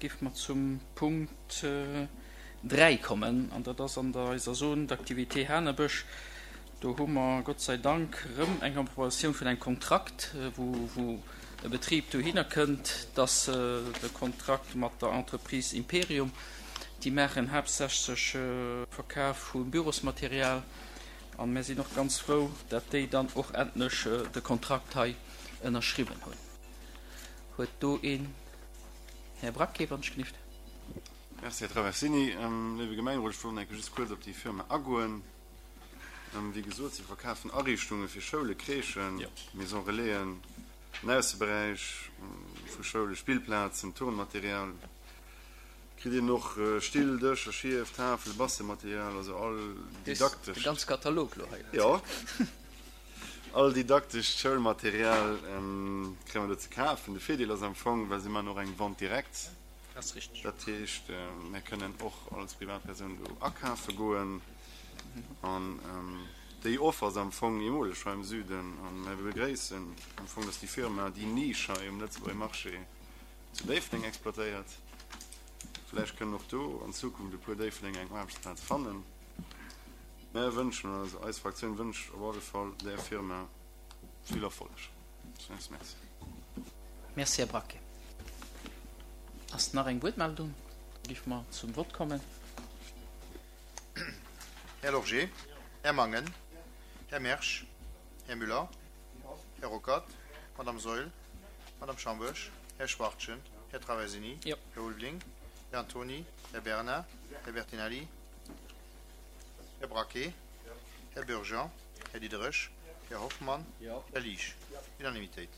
Géife mer zum Punkt 3 kommen, an dat ass an der eiser Zone d'activité Hanebësch. Do hu mer Gott sei Dank erëm eng Approbatioun vun engem Kontrakt, wou wou e Betrib dohinner kënnt. Dat ass de Kontrakt mat der Entreprise Imperium. Déi maachen haaptsächlech Verkaf vu Bürosmaterial. An mir sinn och ganz frou, dat déi dann och endlech de Kontrakt hei ënnerschriwwen hunn. Huet do een. Här Braquet, wann ech gelift. Merci, Här Traversini. Léiwe Gemengerot, ech wollt enke just kuerz op déi Firma agoen. Wéi gesot, si verkafen Ariichtunge fir Schoule, Crèchen, Maison Relaisen, den Ausseberäich vu Schoule, Spillplazen, Turnmaterial. Kritt een och Still, Dëscher, Schief, Tafel, Bastelmaterial, also all didaktescht. De ganze Katalog lo hei. Jo. All didaktescht Schoulmaterial kréie mer do ze kafen. De Virdeel ass am Fong, well se maachen och eng Vente directe. Ass richteg. Dat heescht, mir kënnen och als Privatpersoun do akafe goen. An déi Offer ass am Fong eemoleg hei am Süden. A mir begréissen am Fong, dass déi Firma déi Nisch hei um Lëtzebuerger Marché zu Déifferdeng exploitéiert. Vläicht kënnen och do an Zukunft e puer Déifferdenger eng Aarbechtsplaz fannen. Mär wënschen, also eis Fraktioun wënscht op alle Fall där Firma vill Erfolleg. Merci. Merci, Här Braquet. Ass nach eng Wuertmeldung? Da géife mer zum Vott kommen. Här Lorgé, Här Mangen, Här Mersch, Här Müller, Här Ruckert, Madame Saeul, Madame Schambourg, Här Schwachtgen, Här Traversini, Här Ulveling, Här Antony, Här Bernard, Här Bertinelli, Här Braquet, Här Bürger, Här Diderich, Här Hoffmann, Här Liesch. Unanimitéit.